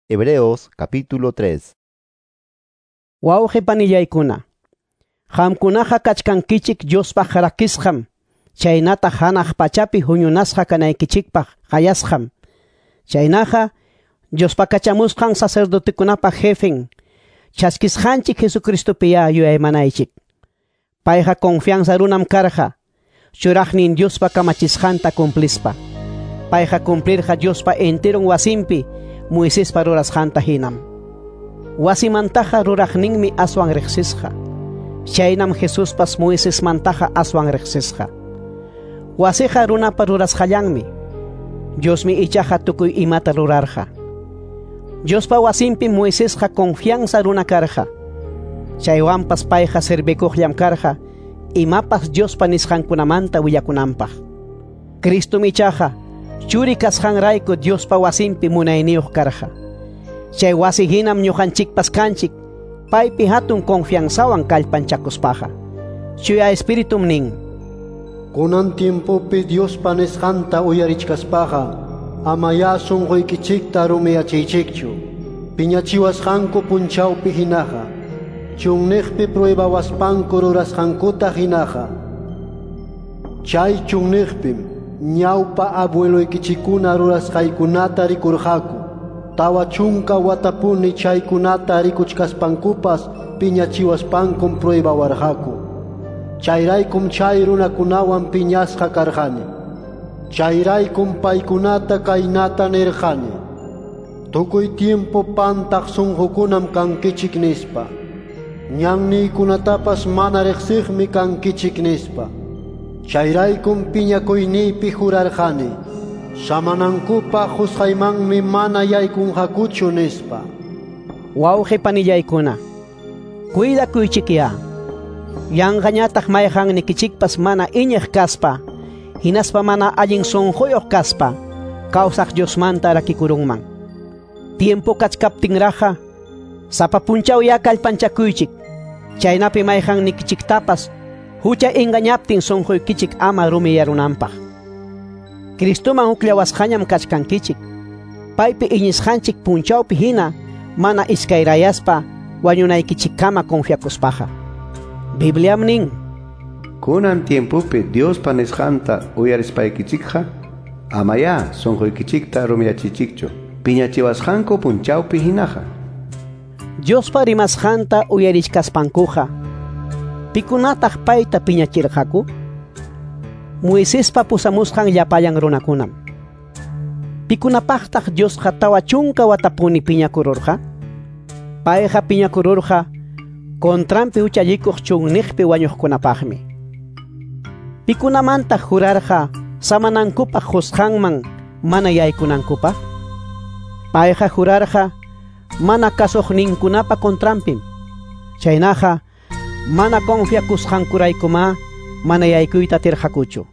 Hebreos capítulo 3. Wawqi panillaykuna, qamkunaqa kachkankichik Diospaq rakisqam, chaynataq hanaq pachapi huñunasqa kanaykichikpaq qayasqam. Chaynaqa Diospa kachamusqan sacerdotekunapa jefen, chaskisqanchik Jesucristopiya yuyaymanaychik. Payqa confianza runam karqa, churaqnin Diospa kamachisqanta cumplispa. Payqa cumplirqa Diospa enteron wasinpi Moisespa rurasqanta hinam. Wasimantaqa ruraqninmi aswan riqsisqa. Chaynam Jesuspas Moisesmantaqa aswan riqsisqa. Wasiqa runapa rurasqallanmi. Diosmi ichaqa tukuy imata rurarqa. Diospa wasinpi Moisesqa confianza runa karqa. Chaywanpas payqa servikuqllam karqa imapas Diospa nisqankunamanta willakunanpaq. Cristom ichaqa churi kasqanrayku Diospa wasinpi munayniyuq karqa. Chay wasi hinam ñuqanchikpas kanchik, paypi hatun confianzawan kallpanchakuspaqa. Chuya Espiritum nin: Kunan tiempopi Diospa nisqanta uyarichkaspaqa, amaya sunquykichikta rumiyachiychikchu. Piñachiwasqanku punchawpi hinaqa, chunniqpi pruebawaspanku rurasqankuta hinaqa. Chay chunniqpim ñawpa abueloykichikuna rurasqaykunata rikurqaku. 40 watapuni chaykunata rikuchkaspankupas piñachiwaspankum pruebawarqaku. Chayraykum chay runakunawan piñasqa karqani. Chayraykum paykunata kaynata nirqani: Tukuy tiempo pantaq sunqukunam kankichik nispa. Ñanniykunatapas mana riqsiqmi kankichik nispa. Chayraykum piñakuyniypi jurarqani: Samanankupaq qusqaymanmi mana yaykunqakuchu nispa. Wawqi panillaykuna, cuidakuychikya. Yanqañataq mayqannikichikpas mana iñiq kaspa, hinaspa mana allin sunquyuq kaspa, kawsaq Diosmanta rakikurunman. Tiempo kachkaptinraqa, sapa punchaw ya kallpanchakuychik, chaynapi mayqannikichiktapas hucha engañaptin sunquykichik ama rumiyarunanpaq. Cristoman hukllawasqañam kachkankichik. Paypi iñisqanchik punchawpi hina mana iskayrayaspa wañunaykichikkama confiakuspaqa. Bibliam nin: Kunan tiempopi Diospa nisqanta uyarispaykichikqa, amaya sunquykichikta rumiyachichikchu, piñachiwasqanku punchawpi hinaqa. Diospa rimasqanta uyarichkaspankuqa, pikunataq payta piñachirqaku? Moisespa pusamusqan llapallan runakunam. Pikunapaqtaq Diosqa 40 watapuni piñakururqa? Payqa piñakururqa contranpi huchallikuq chunniqpi wañuqkunapaqmi. Pikunamantaq jurarqa samanankupaq qusqanman mana yaykunankupaq? Payqa jurarqa mana kasuqninkunapa contranpim. Chaynaqa mana confiakusqankuraykumá mana yaykuyta atirqakuchu.